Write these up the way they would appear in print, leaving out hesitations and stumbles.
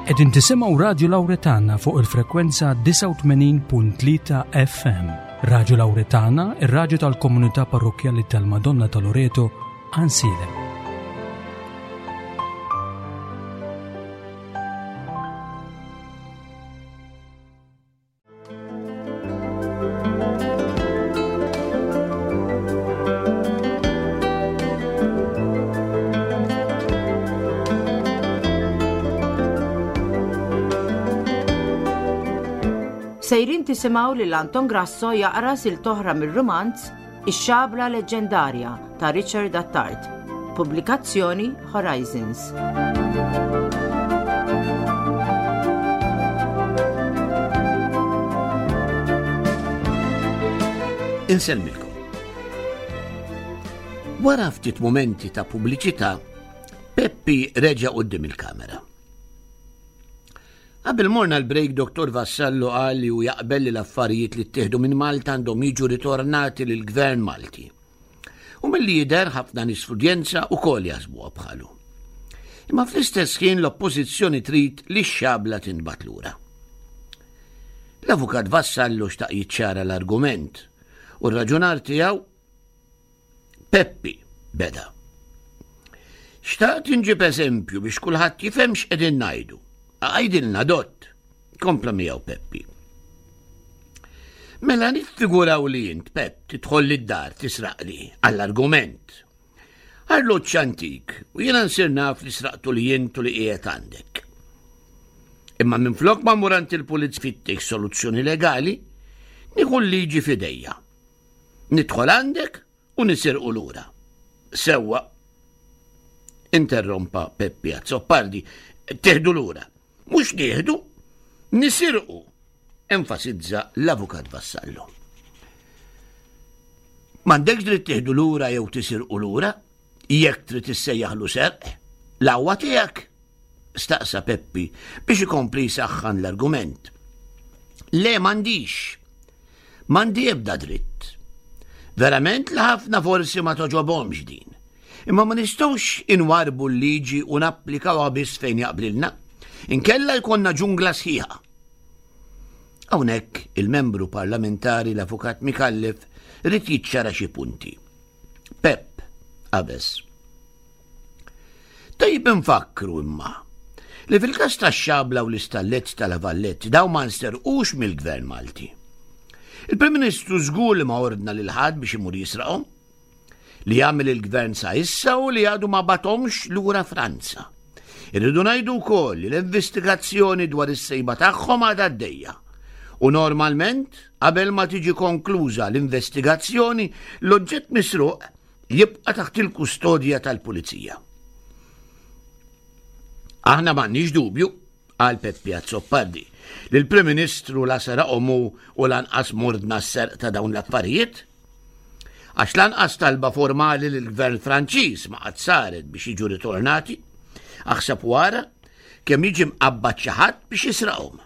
Qegħdin tisimgħu Radju Lawretana fuq il-frekwenza 89.3 FM. Radju Lawretana, ir-radju tal-komunità parrokkjali tal-Madonna ta' Loreto, Ansilem. Sejrin tisimgħu lil Anton Grasso jaqra sil toħra mir-rumanz Ix-Xabla Leġġendarja ta' Richard Attard. Pubblikazzjoni Horizons. Insellmilkom. Wara ftit mumenti ta' pubbliċità, Peppi reġa' quddiem il-kamera. Qabel morna l-break Dottor Vassallo qal li hu jaqbel li l-affarijiet li ttieħdu minn Malta għandhom jiġu ritornati lill-Gvern Malti. U milli jidher ħafna nies fl-udjenza wkoll jaħsbuha bħalu. Imma fl-istess ħin l-Oppożizzjoni trid li x-xabla tintbagħat lura. L-Avukat Vassallo xtaq jiċċara l-argument u r-raġunar tiegħu Peppi beda. Xtaqt inġib eżempju biex kulħadd jifhem x'qegħdin ngħidu. Għidilna dott, kompla miegħu Peppi. Mela niffiguraw li int, Pepp, tidħol lid-dar tisraqli għall-argument. Arloġġ antik u jiena nsir naf li sraqtu li int u li qiegħed għandek. Imma minflok ma mmur għand il-pulizija fittex soluzzjoni legali, nieħu l-liġi f'idejja. Nidħol għandek u nisirqu lura. Sewwa. Interrompa Peppi Azzopardi. Teħdu lura. Mhux nieħdu, nisirqu, enfasizza l-Avukat Vassallo. M'għandekx dritt tieħdu lura jew tisirqu lura, jekk trid issejjaħlu serq, l-għawwa tiegħek. Staqsa Peppi biex ikompli jsaħħan l-argument. Le m'għandix. M'għandi ebda dritt. Verament li ħafna forsi ma toġobhomx din. Imma ma nistgħux inwarbu l-liġi u napplikawha biss fejn jaqblilna. Inkella jkollna ġungla sħiħa. Hawnhekk il-membru parlamentari l-Avukat Micallef ried jiċċara xi punti. Pepp qabeż. Tajjeb infakkru imma li fil-każ tax-xabla u l-istallett ta' La Vallette dawn ma nsterqux mill-Gvern Malti. Il-Prim Ministru żgur li ma ordna lil ħadd biex imur jisraqhom. Li għamel il-Gvern sa issa u li għadu ma bagħathomx lura Franza. Irridu ngħidu wkoll li l-investigazzjoni dwar is-sejba tagħhom għadha għaddejja. U normalment, qabel ma tiġi konkluża l-investigazzjoni, l-oġġett misruq jibqa' taħt il-kustodja tal-pulizija. Aħna m'għandniex dubju, qal Peppi Azzopardi, li l-Prim Ministru la seraqhom hu u lanqas mordna s-serq ta' dawn l-affarijiet. Għax lanqas talba formali lill-Gvern Franċiż ma qatt saret biex jiġu ritornati, aħseb wara kemm jiġi mqabbad xi ħadd biex jisraqhom.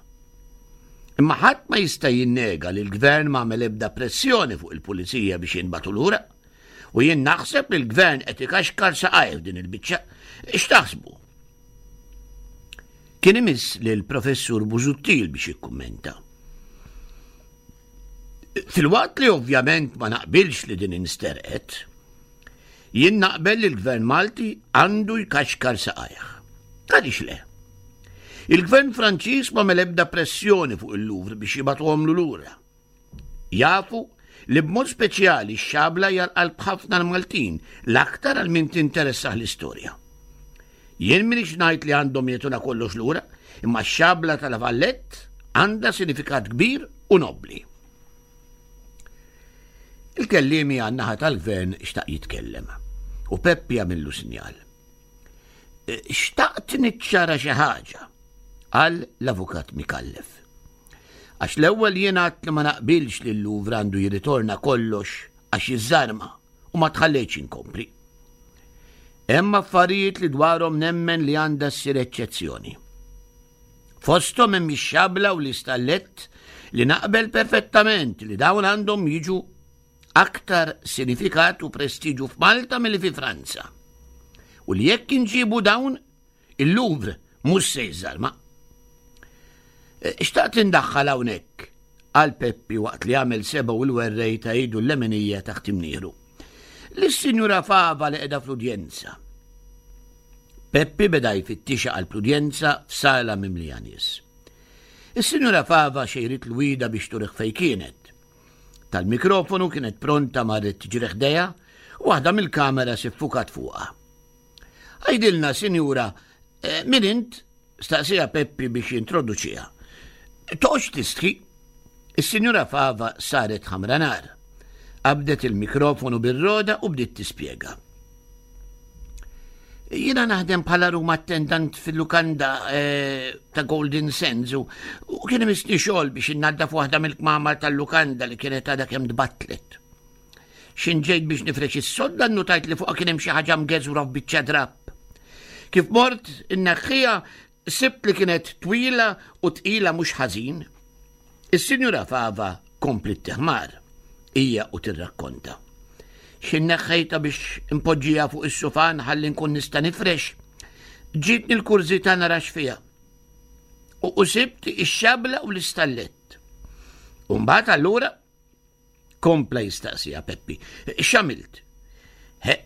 Imma ħadd ma jista' jinnega li l-Gvern ma għamel ebda pressjoni fuq il-pulizija biex jinbagħtu lura. U jien naħseb li l-Gvern qed ikaxkar saqajh f'din il-biċċa. X'taħsbu? Kien imiss lil Professur Busuttil biex jikkummenta. Filwaqt li ovvjament ma naqbilx li din insterqet, jien naqbel li l-Gvern Malti għandu jkaxkar saqajh. Għaliex le? Il-Gvern Franċiż ma ebda pressjoni fuq il-Louvre biex jibgħatuhomlu lura. Jafu li b'mod speċjali x-xabla hija l-qalb ħafna l-Maltin, l-aktar għal min tinteressah l-istorja. Jien minix ngħid li għandhom jagħtuna kollox lura, imma x-xabla ta' La Vallette għandha sinifikat kbir u nobbli. Il-kelliemi għan-naħa tal-gvern xtaq jitkellem u Peppi għamillu sinjal. Xtaqt niċċara xi ħaġa, qal l-avukat Micallef. Għax l-ewwel jien għedt li ma naqbilx li l-Louvre għandu jirritorna kollox għax jiżżarma u ma tħallejtx inkompli. Hemm affarijiet li dwarhom nemmen li għandha ssir eċċezzjoni. Fosthom hemm ix-xabla u l-istallett li naqbel perfettament li dawn għandhom jiġu aktar sinifikat u prestiġu f'Malta milli fi Franza. U li jekk inġibu dawn, il-Louvre mhux se jiżżarma. Eh, xtaqt indaħħal hawnhekk, qal Peppi waqt li għamel seba' u l-werrej ta' idu l-leminija taħt imnieħru. Lis-Sinjura Fava li qiegħda fl-udjenza. Peppi beda jfittixa għal l-udjenza f'sala mimlija nies. Is-Sinjura Fava xejrit l-wida biex turih fejn kienet. Tal-mikrofonu kienet pronta marret tiġri ħdejha u waħda mill-kameras iffukat fuqha. Għidilna, sinjura, eh, min int? Staqsija Peppi biex jintroduċiha. Toqgħodx tistħi. Is-Sinjura Fava saret ħamra nar. Qabdet il-mikrofonu bir-roda u bdiet tispjega. Jiena naħdem bħala room attendant fil-lukanda eh, ta' Golden Sands u kien imissni xogħol biex innaddaf waħda mill-kmamar tal-lukanda li kienet għadha kemm tbattlet. X'in ġejt biex nifrex is-sodda nnutajt li fuqha kien hemm xi ħaġa mgeżwra f'biċċa drapp. Kif mort inneħħiha sibt li kienet twila u tqila mhux ħażin. Is-Sinjura Fava kompliet teħmar, hija u tirrakkonta. X'in neħħejtha biex impoġġiha fuq is-sufan ħalli nkun nista' nifrex, ġietni l-kurżità nara x'fiha. U sibt ix-xabla u l-istallett. U mbagħad allura Kompla jistaqsiha Peppi. X'għamilt?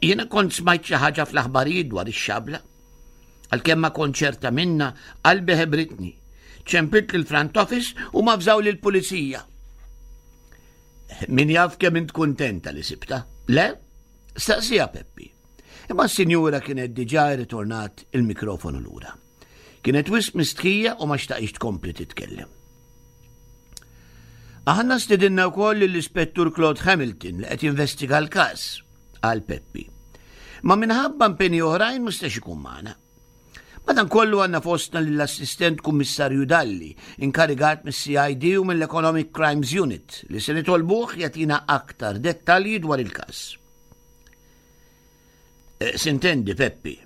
Jiena kont smajt xi ħaġa fl-aħbarijiet dwar ix-xabla. Għalkemm ma kont ċerta minna, qalbi ħebritni. Ċempilt lill-front office u ma fżaw lill-pulizija. Min jaf kemm int kuntenta li sibta? Le? Staqsija Peppi. Imma s-sinjura kienet diġà rritornat il-mikrofonu lura. Kienet wisq mistħija u ma xtaqix tkompli titkellem. Aħna stidinna wkoll lill-Ispettur Claude Hamilton li qed jinvestiga l-każ, qal Peppi. Ma minħabba impenji oħrajn ma stax ikun magħna. Madankollu għandna fostna lill-Assistent Kummissarju Dalli, inkarigat mis-CID u mill-Economic Crimes Unit, li se nitolbuh jagħtina aktar dettalji dwar il-każ. Eh, sintendi, Peppi,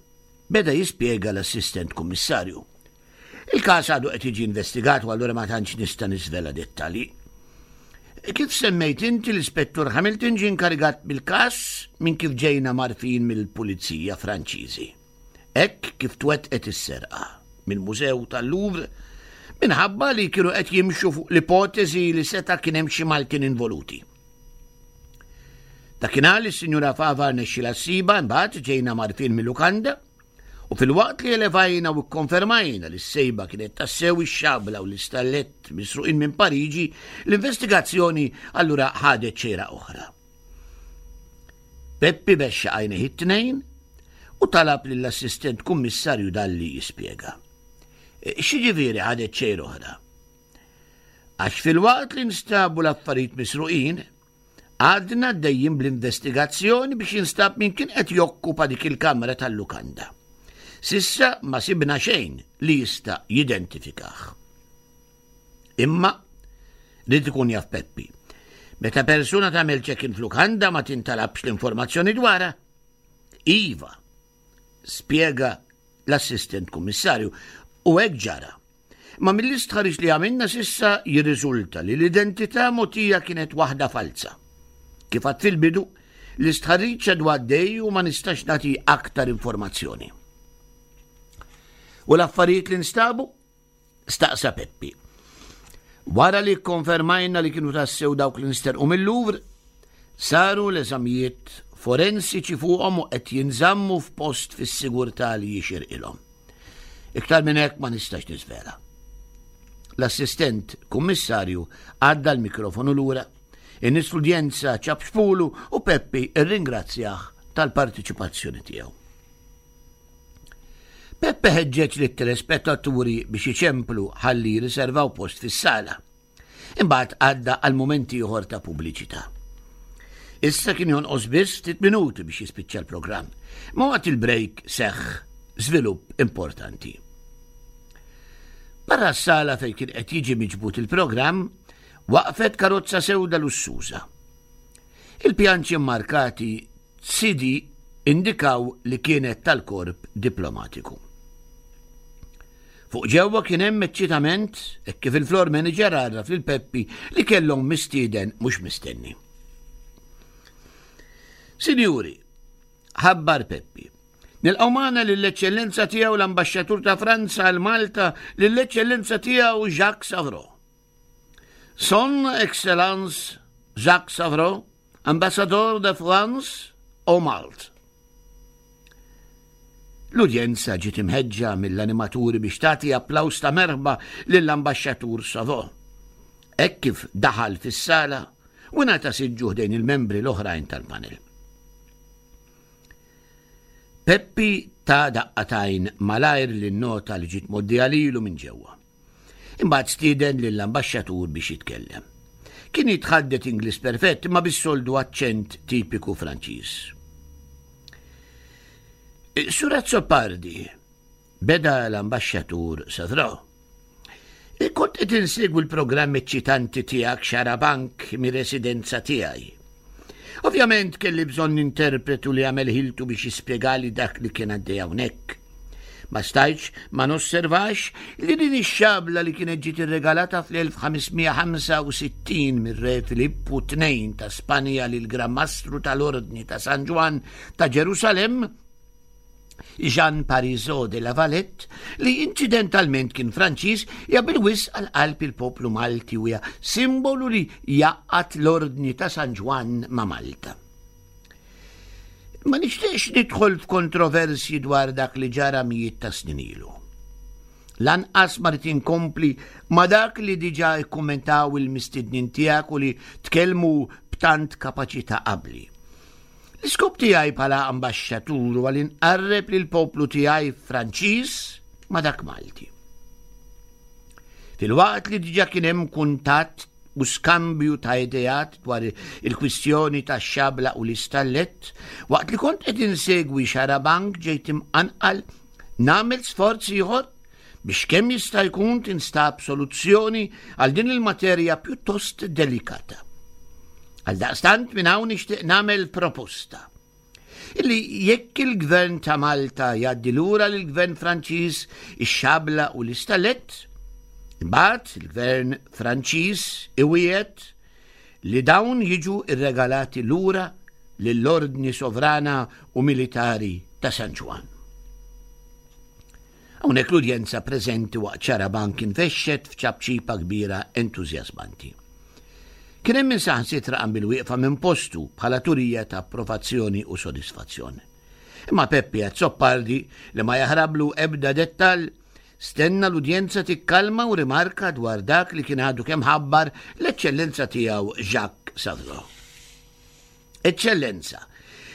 beda jispjega l-assistent kummissarju. Il-każ għadu qed jiġi investigat u allura ma tantx nista' niżvela dettalji. Kif semmejt inti l-Ispettur Hamilton ġie inkarigat bil-każ minn kif ġejna marfin mill-Pulizija Franċiżi. Hekk kif twettqet is-serqa mill-Mużew tal-Louvre minħabba li kienu qed jimxu fuq l-ipoteżi li seta' kien hemm xi Maltin involuti. Dakinhar li s-Sinjura Fava rnexxilha ssibha imbagħad ġejna mgħarrfin mil-lukanda u filwaqt li elevajna u kkonfermajna li s-sejba kienet tassew ix-xabla u l-istallett misruqin minn Pariġi, l-investigazzjoni allura ħadet xejra oħra. Peppi bexxa għajnejh it-tnejn u talab lill-assistent kummissarju Dalli jispjega. X'jiġifieri ħadet xejra oħra? Għax filwaqt li nstabu l-affarijiet misruqin, għadna għaddejjin bl-investigazzjoni biex jinstab min kien qed jokkupa dik il-kamra tal-lukanda. Sissa ma sibna xejn li jista' jidentifikah. Imma li ikun jaf Peppi. Meta persuna tagħmel check-in f'lukanda ma tintalabx l-informazzjoni dwarha. Iva, spjega l-assistent kummissarju, u hekk ġara. Ma mill-istħarriġ li għamilna sissa jirriżulta li l-identità mogħtija kienet waħda falza. Kif għad fil-bidu, l-istħarriġ għadu għaddej u ma nistax nagħti aktar informazzjoni. U l-affarijiet li nstabu? Staqsa Peppi. Wara li kkonfermajna li kienu tassew dawk li nsterqu mill-Louvre, saru l-eżamijiet forensiċi fuqhom u qed jinżammu f'post fis-sigurtà li jixirqilhom. Iktar minn hekk ma nistax niżvela. L-assistent kummissarju għadda l-mikrofonu lura, in-nies fl-udjenza ċapċpulu u Peppi rringrazzjah tal-partiċipazzjoni tiegħu. Peppe ħeġġeġ lit-telespettaturi biex iċemplu ħalli jirriservaw post fis-sala. Imbagħad għadda għal mument ieħor ta' pubbliċità. Issa kien jonqos biss ftit minuti biex jispiċċa l-programm. Ma waqt il-break seħħ żvilupp importanti. Barra s-sala fejn kien qed jiġi miġbud il-programm, waqfet karozza sewda lussuża. Il-pjanċi mmarkati CD indikaw li kienet tal-korp diplomatiku. Fuq ġewwa kien hemm eċċitament hekk kif il-floor manager għarraf lil Peppi li kellhom mistieden mhux mistenni. Sinjuri, ħabbar Peppi. Nilqgħu magħna lill-Eċċellenza Tiegħu l-Ambaxxatur ta' Franza għal Malta, lill-Eċċellenza Tiegħu Jacques Savro. Son Excellence Jacques Savro, Ambassador de France au Malte. L-udjenza ġiet imħeġġa mill-animaturi biex tagħti applaws ta' merħba lill-Ambaxxatur Savo. Hekk kif daħal fis-sala u ngħata siġġu ħdejn il-membri l-oħrajn tal-panel. Peppi ta daqqa t'għajn malajr lin-nota li ġiet mgħoddija lilu minn ġewwa. Imbagħad stieden lill-ambaxxatur biex jitkellem. Kien jitħaddet Ingliż perfett imma bis-soldu aċċent tipiku Franċiż. Sur Azzopardi, beda l-ambaxxatur Savro. Kont qed insegwi l-programm eċċitanti tiegħek Xarabank mir-residenza tiegħi. Ovvjament kelli bżonn interpretu li għamel ħiltu biex jispjegali dak li kien għaddej hawnhekk. Ma stajtx ma nosservax li din ix-xabla li kienet ġiet irregalata fl-1565 mir-Re Filippu II ta' Spanja lil Gran Mastru tal-Ordni ta' San Ġwann ta' Ġerusalemm Jean Parisot de la Valette, li inċidentalment kien Franċiż, hija bil-wisq għal qalb il-poplu Malti u hija simbolu li jgħaqqad l-Ordni ta' San Ġwann ma' Malta. Ma nixtieqx nidħol f'kontroversji dwar dak li ġara mijiet ta' snin ilu. Lanqas ma rrid inkompli ma' dak li diġà kkummentaw il-mistednin tiegħek u li tkellmu b'tant kapaċità qabli. L-iskop tiegħi bħala ambaxxatur huwa li nqarreb lill-poplu tiegħi Franċiż ma' dak Malti. Filwaqt li diġà kien hemm kuntatt u skambju ta' ideat dwar il-kwistjoni tax-xabla u l-istallett, waqt li kont qed insegwi Xarabank ġejt imqanqal nagħmel sforz ieħor biex kemm jista' jkun tinstab soluzzjoni għal din il-materja pjuttost delikata. Għaldaqstant minn hawn nixtieq nagħmel proposta illi jekk il-gvern ta' Malta jgħaddi lura lill-gvern Franċiż ix-xabla u l-istalett, imbagħad il-gvern Franċiż iwiegħed li dawn jiġu rregalati lura lill-Ordni Sovrana u Militari ta' San Ġwann. Hawnhekk l-udjenza preżenti waqt Xarabank infexxet f'ċapċipa kbira entużjażmanti. Kien hemm min saħansitra qam bil-wieqfa minn postu bħala turija ta' approvazzjoni u sodisfazzjon. Imma Peppi Azzopardi, li ma jaħrablu ebda dettall, stenna l-udjenza tikkalma u rimarka dwar dak li kien għadu kemm ħabbar l-Eċċellenza tiegħu Jacques Savro. Eċċellenza,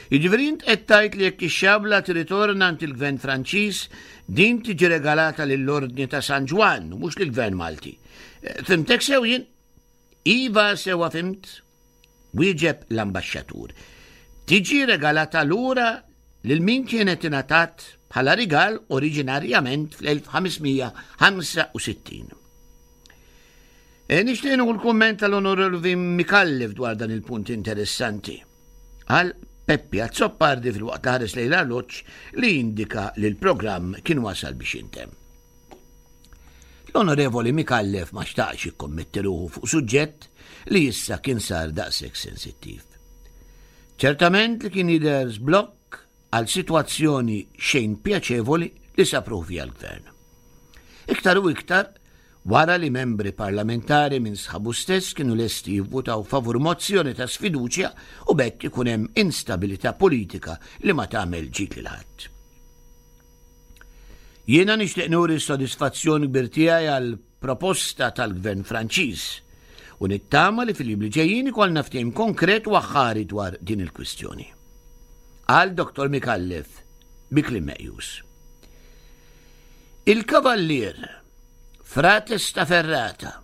jiġifieri int qed tgħid li jekk ix-xabla tirritorna għand il-Gvern Franċiż, din tiġi regalata lill-Ordni ta' San Ġwann u mhux lill-Gvern Malti. Eh, fimtek sew jien? Iva sewwa fimt, wieġeb l-ambaxxatur. Tiġi regalata lura lil min kienet ingħatat bħala rigal oriġinarjament fl-1565. E, nixtieq nieħu l-kumment tal-Onorevoli Mikallef dwar dan il-punt interessanti. Għal Peppi Azzopardi fil-waqt ħares lejn l-arloġġ li jindika li l-programm kien wasal biex jintemm. L-Onorevoli Mikallef ma xtaqx jikkommetti ruħu fuq suġġett li issa kien sar daqshekk sensittiv. Ċertament li kien jidher żblokk għal sitwazzjoni xejn pjaċevoli li sab ruħu fiha l-Gvern. Iktar u iktar wara li membri parlamentari minn sħabu stess kienu lesti jivvutaw favur mozzjoni ta' sfiduċja u b'hekk ikun hemm instabilità politika li ma tagħmel ġid lil ħadd. Jiena nixtieq nuri s-sodisfazzjon kbir tiegħi għal proposta tal-Gvern Franċiż u nittama li fil-jiem li ġejjin ikollna ftehim konkret u aħħari dwar din il-kwistjoni. Qal Dottor Micallef bi kliem meqjus. Il-Kavallier Fra Testaferrata,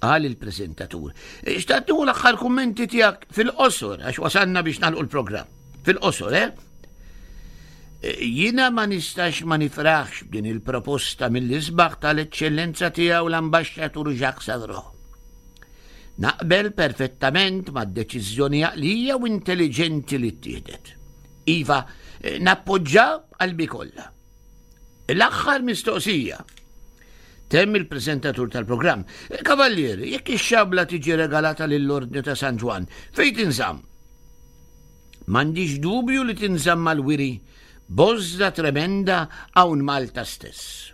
qal il-preżentatur, xtaqt nieħu l-aħħar kummenti tiegħek fil-qosor għax wasalna biex nagħlqu l-programm. Fil-qosor, eh? Jiena ma nistax ma nifraħx b'din il-proposta mill-isbaħ tal-Eċċellenza Tiegħu l-Ambaxxatur Jacques Sadro. Naqbel perfettament mad-deċiżjoni għaqlija u intelliġenti li ttieħdet. Iva, nappoġġa b'qalbi kollha. L-aħħar mistoqsija. Temm il-preżentatur tal-programm. Kavallier, jekk ix-xabla tiġi regalata lill-Ordni ta' San Ġwann, fejn tinżamm? M'għandix dubju li tinżamm għall-wiri Bożża tremenda hawn Malta stess.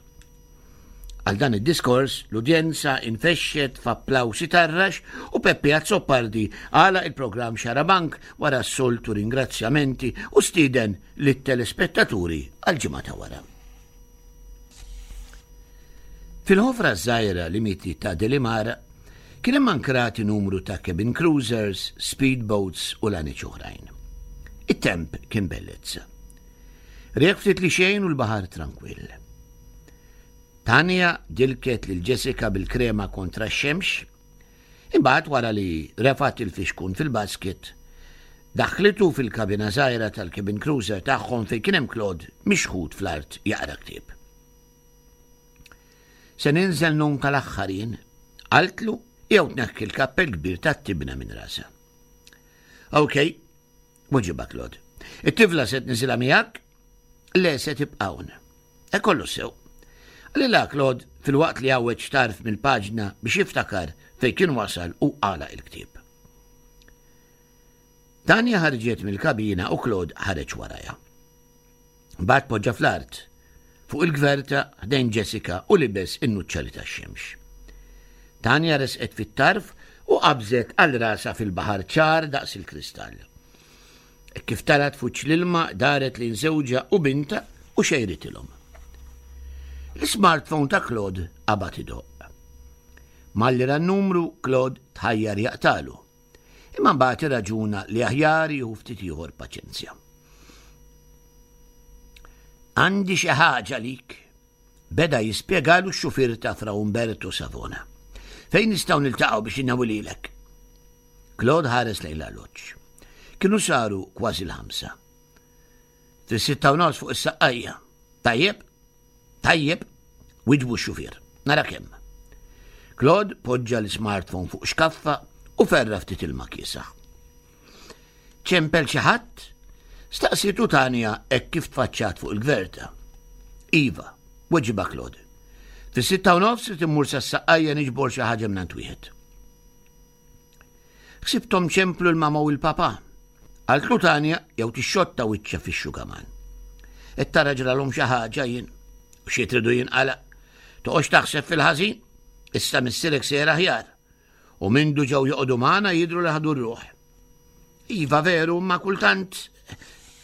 Għal dan id-diskors, l-udjenza infexxet f'applawsi tarrax u Peppi Azzopardi għalaq il-programm Xarabank wara s-soltu ringrazzjamenti u stieden lit-telespettaturi għall-ġimgħa ta' wara. Fil-ħofra żgħira limiti ta' Delimar kien hemm ankrati numru ta' cabin cruisers, speedboats u laniċ oħrajn. It-temp kien bellezza. Riek ftit li xejn u l-baħar trankwill. Tanja dilket lil Jessica bil-krema kontra x-xemx, imbagħad wara li refgħet il-fixkun fil-basket, daħħlitu fil-kabina żgħira tal-cabin cruiser tagħhom fejn kien hemm Claude mixħut fl-art jaqra ktieb. Se ninżel nun tal-aħħar jien, qaltlu jew tneħħi l-kappell kbir tat-tibna minn rasha. Ok, weġibha Claude. It-tifla se tniżilha miegħek? Le se tibqa' hawn. E kollu sew. Qalilha Claude filwaqt li għawweġ tarf mill-paġna biex jiftakar fejn kien wasal u għalaq il-ktieb. Tanja ħarġet mill-kabina u Claude ħareġ warajha. Mbagħad poġġa fl-art, fuq il-gverta ħdejn Jessica u libes in-nuċċali tax-xemx. Tanja resqet fit-tarf u qabżet għal rasha fil-baħar ċar daqs il-kristall. Hekk kif tarat f'wiċċ l-ilma daret lejn żewġha u bintha u xejritilhom. L-ismartphone ta' Claude qabad idoqq. Malli ra n-numru, Claude tħajjar jaqtalu. Imma mbagħad irraġuna li aħjar jieħu ftit ieħor paċenzja. Għandi xi ħaġa lik, beda jispjegalu x-xufier ta' Fra Umberto Savona. Fejn nistgħu niltaqgħu biex innawililek? Claude ħares lejn l-arloġġ. Kienu saru kważi l-ħamsa. Fis-6:30 fuq is-saqqajja. Tajjeb? Tajjeb, wiġbu x-xufier. Nara kemm. Claude poġġa l-smartphone fuq xkaffa u ferra ftit ilma kiesaħ. Ċempel xi ħadd? Staqsietu Tanja hekk kif tfaċċat fuq il-gverta. Iva, weġibha Claude. Fis-6:30 irid immur sas-saqqajja niġbor xi ħaġa mingħand wieħed. Ħsibthom ċemplu l-mama u l-papa. Qaltlu Tanja jew tixxotta wiċċha fix-xugaman. Qed tara ġralhom xi ħaġa jien. U xi tridu jinqala. Toqgħodx taħseb fil-ħażin. Issa missierek sejjer aħjar. U mindu ġew joqogħdu magħna jidhru li ħadu r-ruħ. Iva veru, ma kultant.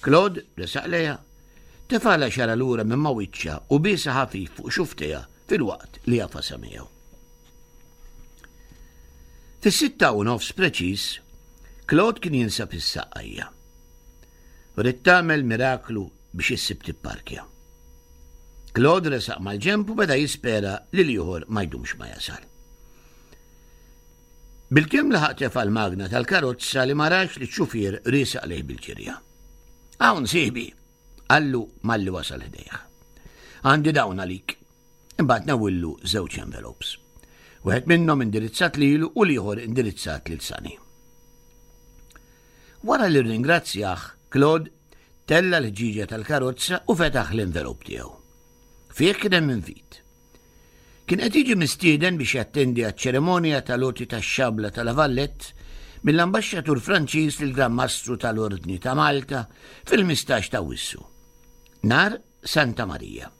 Claude resaq lejha. Tefala xara lura minn ma wiċċha u biesa ħafif fuq xuftejha filwaqt li għafasha miegħu. Fis-6:30 preċiż, Claude kien jinsab is-Saqqajja. Ridt tagħmel miraklu biex issib tipparkja. Claude resaq mal-ġenb u beda jispera li l-ieħor ma jdumx ma jasal. Bilkemm laħaq tefa' l-magna tal-karozza li ma rax li x-xufier riesaq lejh bil-ġirja. Hawn sieħbi, qallu malli wasal ħdejh. Għandi dawn għalik. Imbagħad newwillu żewġ envelopes. Wieħed minnhom indirizzat lilu u l-ieħor indirizzat lil Sani. Wara li rringrazzjah, Claude tella l-ħġieġa tal-karozza u fetaħ l-envelop tiegħu. Fih kien hemm invit. Kien qed jiġi mistieden biex jattendi għaċ-ċerimonja tal-għoti tax-xabla ta' La Valette mill-Ambaxxatur Franċiż lill-Gran Mastru tal-Ordni ta' Malta fil-15 ta' Awwissu, nhar Santa Marija.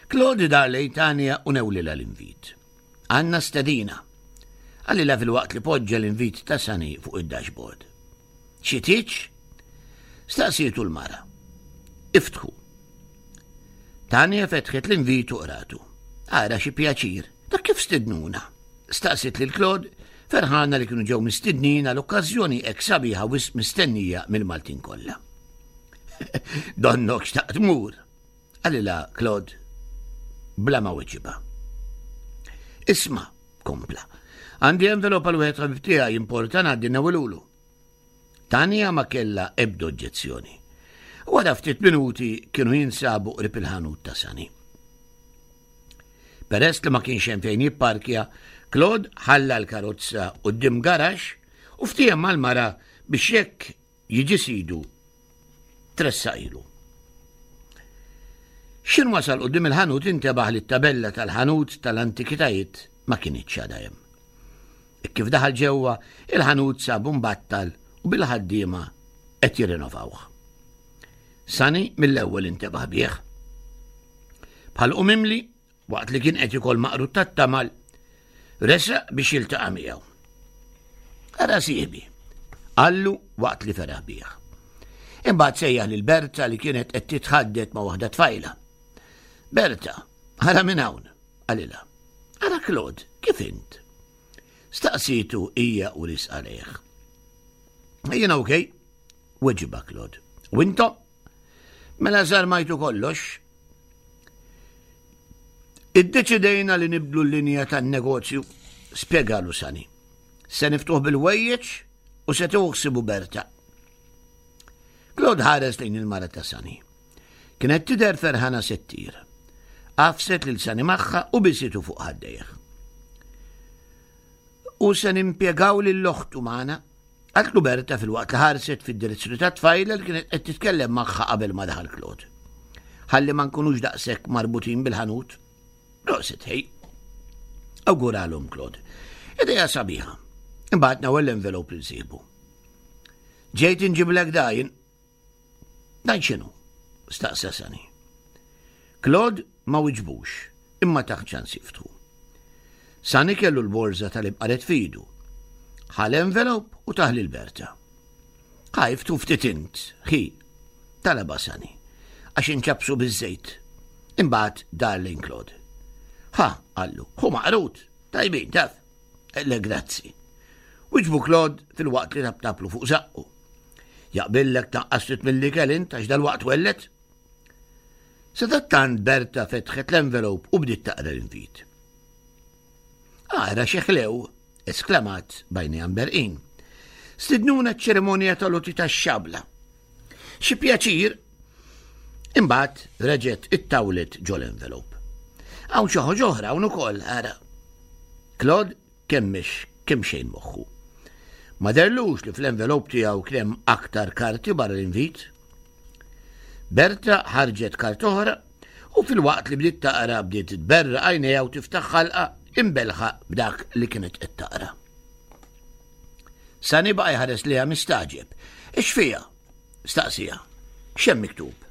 Claude dar lejn Tanja u newlilha l-invit. Għandna stedina, qalilha filwaqt li poġġa l-invit ta' Sunny fuq id-dashboard. Xi tieġ? Staqsietu l-mara. Iftħu. Tanja fetħet l-invit u qratu. Ara xi pjaċir, dak kif stidnuna? Staqsiet lil Claude, ferħana li kienu ġew mistidnin għal okkażjoni hekk sabiħa wisq mistennija mill-Maltin kollha. Donnok xtaqt mur, qalilha Claude bla ma weġibha. Isma', kompla, għandi envelop għal wieħed ħabib tiegħi importa ngħaddi newilulu. Tanja ma kellha ebda oġġezzjoni. Wara ftit minuti kienu jinsabu qrib il-ħanut ta' Sani. Peress li ma kienx hemm fejn jipparkja, Claude ħalla l-karozza quddiem garaxx u ftiehem mal-mara biex jekk jiġi sidu tressaq ilu. X'in wasal quddiem il-ħanut intebaħ li t-tabella tal-ħanut tal-antikitajiet ma kinitx għadha hemm. E kif daħal ġewwa, il-ħanut sabu mbattal u bil-ħaddiema qed jirrinovawh. Sani mill-ewwel intebaħ bih. Bħal mimli, waqt li kien qed ikol maqrut tat-tamal, resaq biex jiltaqa' miegħu. Ara sieħbi, qallu waqt li feraħ bih. Imbagħad sejjaħ lil Berta li kienet qed titħaddet ma' waħda tfajla. Berta, ara minn hawn, qalilha. Ara Claude, kif int? Staqsietu hija u risqa lejh. Jiena okej, weġibha Claude. U intom? Mela żarmajtu kollox? Iddeċidejna li nibdlu l-linja tan-negozju, spjegalu Sani. Se niftuħ bil-wejjeġ u se tuħsibu Berta. Claude ħares lejn il-mara ta' Sani. Kienet tidher ferħana se ttir. Għafset lil Sani magħha u bisitu fuq ħaddejh. U se nimpjegaw lil oħtu magħna, qaltlu Berta filwaqt li ħarset fid-direzzjoni tat-tfajla li kienet qed titkellem magħha qabel ma daħal Claude. Ħalli ma nkunux daqshekk marbutin bil-ħanut. Prosit ħej. Awguralhom Claude. Ideja sabiħa. Imbagħad nawel l-envelope lil sieħbu. Ġejt inġiblek dajn, Dan x'inhu? staqsa Sani. Claude ma wiġbux, imma tah ċans jiftħu. Sani kellu l-borża tal-imqaret f'idu. Ħa l-envelope u tah lil Berta. Ħa iftu ftit int, ħi, talabha Sani, għax inċappsu biż-żejt. Imbagħad dar lejn Claude. Ħa, qallu, hu maqrut, tajbin taf. Le grazzi. Wiġbu Claude filwaqt li taptaplu fuq żaqqu. Jaqbillek taqqas ftit mill-ikel int għax dalwaqt twelled? Sadattant Berta fetħet l-envelope u bdiet taqra l-invit. Ara xi ħlew, esklamat b'għajnejha mberqin. Stidnuna ċ-ċerimonja tal-għoti tax-xabla. Xi pjaċir! Imbagħad reġgħet ittawlet ġol-envelope. Hawn xi ħaġa oħra hawn ukoll, ara. Claude kemmex kemxejn moħħu. Ma derlux li fl-envelope tiegħu kien hemm aktar karti barra l-invit. Berta ħarġet kart oħra u filwaqt li bdiet taqra bdiet tberra għajnejha u tiftaħ ħalqa imbelħa b'dak li kienet qed taqra. Sani baqa' jħares liha mistagħġeb. Ix fiha? Staqsija. X'hemm miktub?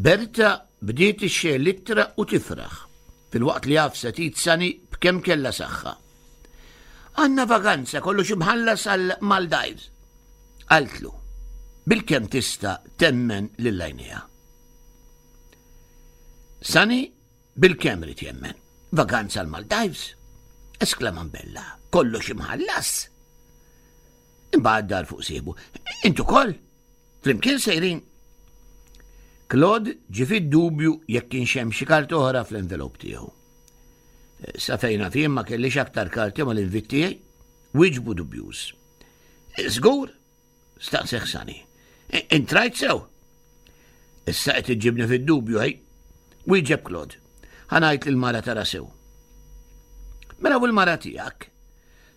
Berta bdiet ixxejjer l-ittra u tifraħ, filwaqt li għafset id Sani b'kemm kellha saħħa. Għandna vaganza kollox imħallas għal Maldives. Qaltlu, bilkemm tista' temmen lil għajnejha. Sani bilkemm ried jemmen. Vaganza għal Maldives? Esklama mbella, kollox imħallas. Imbagħad dar fuq sieħbu. Int ukoll? Flimkien sejrin. Claude ġie fid-dubju jekk kienx hemm xi karti oħra fl-envelop tiegħu. Eh, sa fejn naf jien ma kellix aktar karti mal-invit tiegħi, wieġbu dubjuż. Eh, żgur, staqseh Sani. Eh, intrajt sew. Issa qed iġġibni fid-dubju, ej. Wieġeb Claude. Ħanajt lil mara tara sew. Mela u l-mara tiegħek?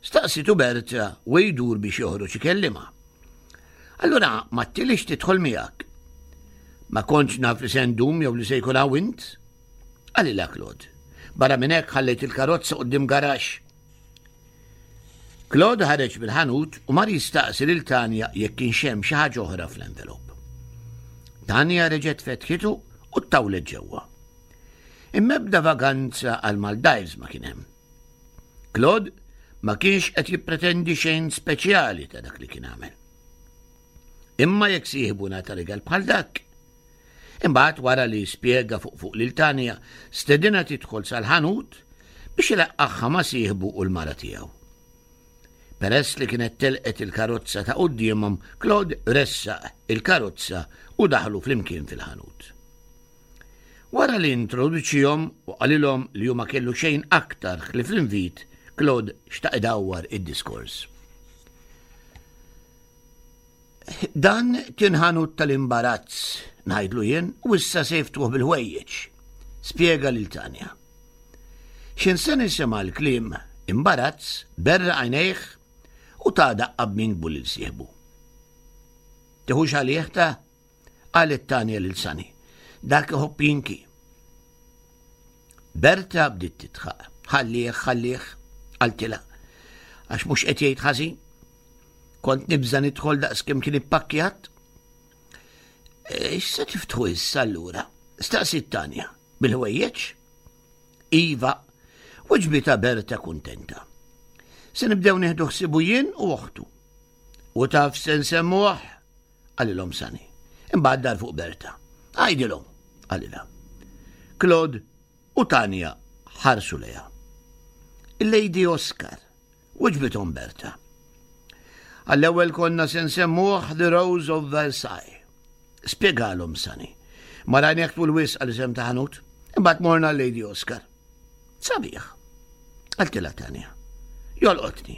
Staqsitu Berta u jdur biex joħroġ ikellimha. Allura ma tilix tidħol miegħek. Ma kontx naf li se ndum jew li se jkun hawn int? Qalilha Claude. Barra minn hekk ħallejt il-karozza quddiem garaxx. Claude ħareġ mill-ħanut u mar jistaqsi lil Tanja jekk kienx hemm xi ħaġa oħra fl-envelop. Tanja reġgħet fetħitu u ttawlet ġewwa. Imma ebda vaganza għal Maldives ma kien hemm. Claude ma kienx qed jippretendi xejn speċjali ta' dak li kien għamel. Imma jekk sieħbu ngħata rigal bħal dak. Imbagħad wara li spjega fuq fuq lil Tanja, stedina tidħol sal-ħanut biex ilaqqagħha ma' sieħbu u l-mara tiegħu. Peress li kienet telqet il-karozza ta' quddiemhom, Claude ressaq il-karozza u daħlu flimkien fil-ħanut. Wara li introduċihom u qalilhom li hu ma kellu xejn aktar ħlief l-invit, Claude xtaq idawwar id-diskors. Dan kien ħanut tal-imbarazz, ngħidlu jien, u issa se jiftuħ bil-ħwejjeġ, spjega lil Tanja. X'in se nisema' l-kliem imbarazz, berraq għajnejh u ta daqqa b'minkbu lil sieħbu. Tiħux għalih ta' Qalet Tanja lil Sunny. Dak iħobb jinki. Berta bdiet titħaq. Ħallih, ħallih, qaltilha. Għax mhux qed jgħid ħażin. Kont nibża' nidħol daqs kemm kien ippakkjat. E, x'se tiftħu issa allura? Staqsiet Tanja. Bil-ħwejjeġ? Iva, weġbitha Berta kuntenta. Se nibdew nieħdu ħsibu jien u oħtu. U taf se nsemmuh? Qalilhom Sani. Imbagħad dar fuq Berta. Għidilhom, qalilha. Claude u Tanja ħarsu lejha. Il-Lady Oscar, weġbithom Berta. Għall-ewwel konna se nsemmuh The Rose of Versailles. Spjegalhom Sani. Ma rajnieh tul wisq għal isem ta' ħanut. Imbagħad morna Lady Oscar. Sabiħ. Qaltilha Tanja. Jolqotni.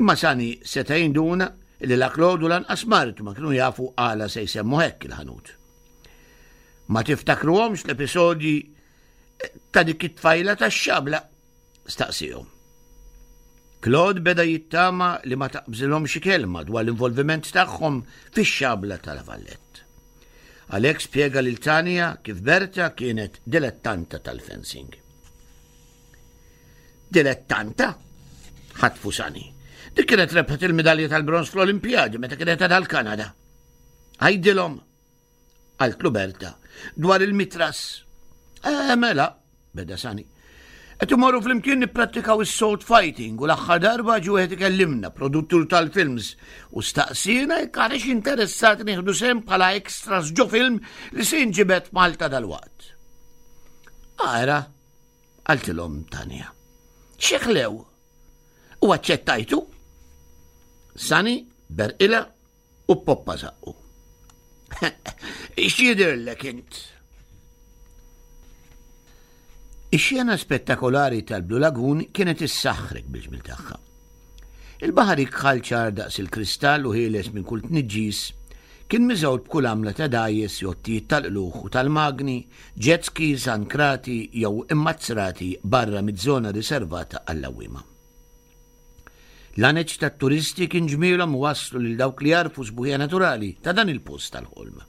Imma Sani seta' jinduna li la Claude u lanqas martu ma kienu jafu għala se jsemmu hekk il-ħanut. Ma tiftakruhomx l-episodji ta' dik it-tfajla tax-xabla? Staqsihom. Claude beda jittama li ma taqbżilhom xi kelma dwar l-involviment tagħhom fix-xabla ta' La Vallette. Għalhekk spjega lil Tanja kif Berta kienet dilettanta tal-fencing. Dilettanta? Ħatfu Sani. Dik kienet rebħet il-midalja tal-bronż fl-Olimpjadi meta kienet għadha l-Kanada. Għidilhom, qaltlu Berta, dwar il-mitras. Eh, mela, beda Sani. Qed imorru flimkien nipprattikaw is-sword fighting u l-aħħar darba ġie wieħed ikellimna, produttur tal-films, u staqsiena jekk aħniex interessati nieħdu sehem bħala extras ġo film li se jinġibed Malta dalwaqt. Ara, qaltilhom Tanja. Xi ħlew! U aċċettajtu? Sani berqilha u poppa zaqqu. X'jidhirlek int? Ix-xena spettakolari tal-Blue Lagoon kienet issaħħrek bil-ġmil tagħha. Il-baħar ikħal ċar daqs il-kristall u ħieles minn kull tniġġis kien miżgħud b'kull għamla ta' dgħajjes, jottijiet tal-qlugħ u tal-magni, jet skis ankrati jew immazzrati barra miż-żona riservata għall-għawwiema. L-għaneġ tat-turisti kien ġmielhom iwasslu lil dawk li jagħrfu s-sbuħija naturali ta' dan il-post tal-ħolm.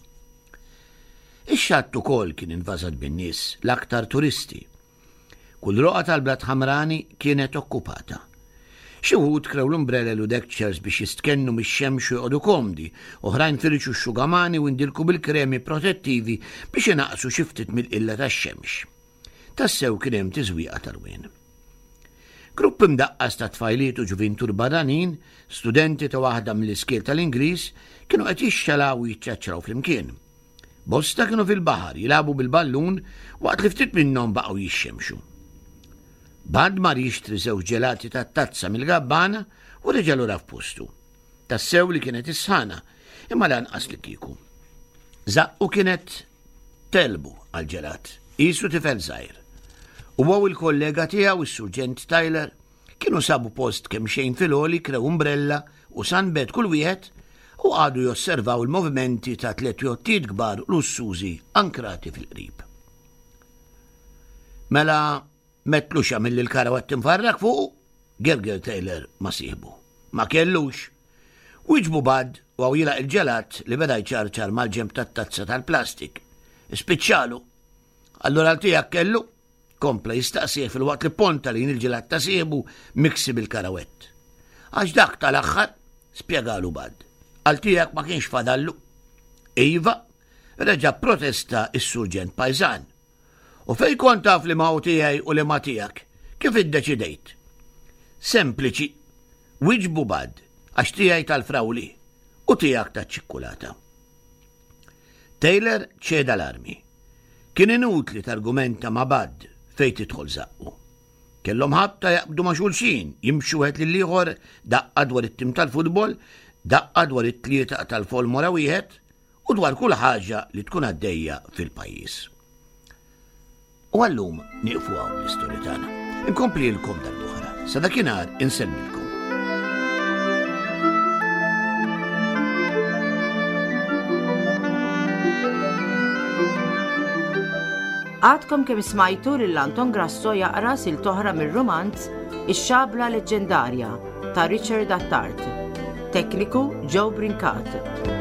Ix-xatt ukoll kien invażat bin-nies, l-aktar turisti. Kull roqgħa tal-blat ħamrani kienet okkupata. Xi wħud krew l-umbrelel u deck chairs biex jistkennu mix-xemx u joqogħdu komdi, oħrajn firxu x-xugamani u ndilku bil-kremi protettivi biex inaqqsu xi ftit mill-qilla tax-xemx. Tassew kien hemm tiżwieqa tal-wien. Grupp imdaqqas ta' tfajliet u ġuvintur barranin, studenti ta' waħda mill-iskiel tal-Ingliż, kienu qed jixxalaw u jiċċaċċraw flimkien. Bosta kienu fil-baħar jilagħbu bil-ballun waqt li ftit minnhom baqgħu jixxemxu. Bad mar jixtri żewġ ġelati tat-tazza mill-gabbana u reġa' lura f'postu. Tassew li kienet is-sħana, imma lanqas li kieku. Zaqqu kienet Telbu għall-ġelat, qisu tifel żgħir. Huwa u l-kollega tiegħu, is-Surġent Tyler, kienu sabu post kemxejn fil-għoli, krew umbrella u sunbed kull wieħed u qagħdu josservaw il-movimenti ta' tliet jottijiet kbar lussużi ankrati fil-qrib. Mela m'għedtlux għamilli l-karawett imfarrak fuqu? Gerger Taylor ma' sieħbu. Ma kellux. Wieġbu Bud u hawn jilgħaq il-ġelat li beda jċarċar mal-ġenb tat-tazza tal-plastik. Ispiċċalu. Allura għal tiegħek kellu? Kompla jistaqsih filwaqt li ponta lejn il-ġelat ta' sieħbu miksi bil-karawett. Għax dak tal-aħħar, spjegalu Bud. Għal tiegħek ma kienx fadallu. Iva, reġa' protesta s-surġent pajżan. U fejn kont taf li ma hu tiegħi u li ma tiegħek? Kif iddeċidejt? Sempliċi. Wieġbu Bud, għax tiegħi tal-frawli u tiegħek taċ-ċikkulata. Taylor ċeda l-armi. Kien inutli targumenta ma' Bud fejn tidħol żaqqu. Kellhom ħabta jaqbdu ma' xulxin, jimxu wieħed lill-ieħor daqqa dwar it-tim tal-futbol, daqqa dwar it-tlieta tal-Folmora wieħed, u dwar kull ħaġa li tkun għaddejja fil-pajjiż. U għallum nieqfu hawn l-istorja tagħna. Inkomplilkom darb'oħra. Sa dakinhar insellmilkom. Għadkom kemm smajtu lil Anton Grasso jaqra sil toħra mir-rumanz Ix-Xabla Leġġendarja ta' Richard Attard. Tekniku Joe Brincat.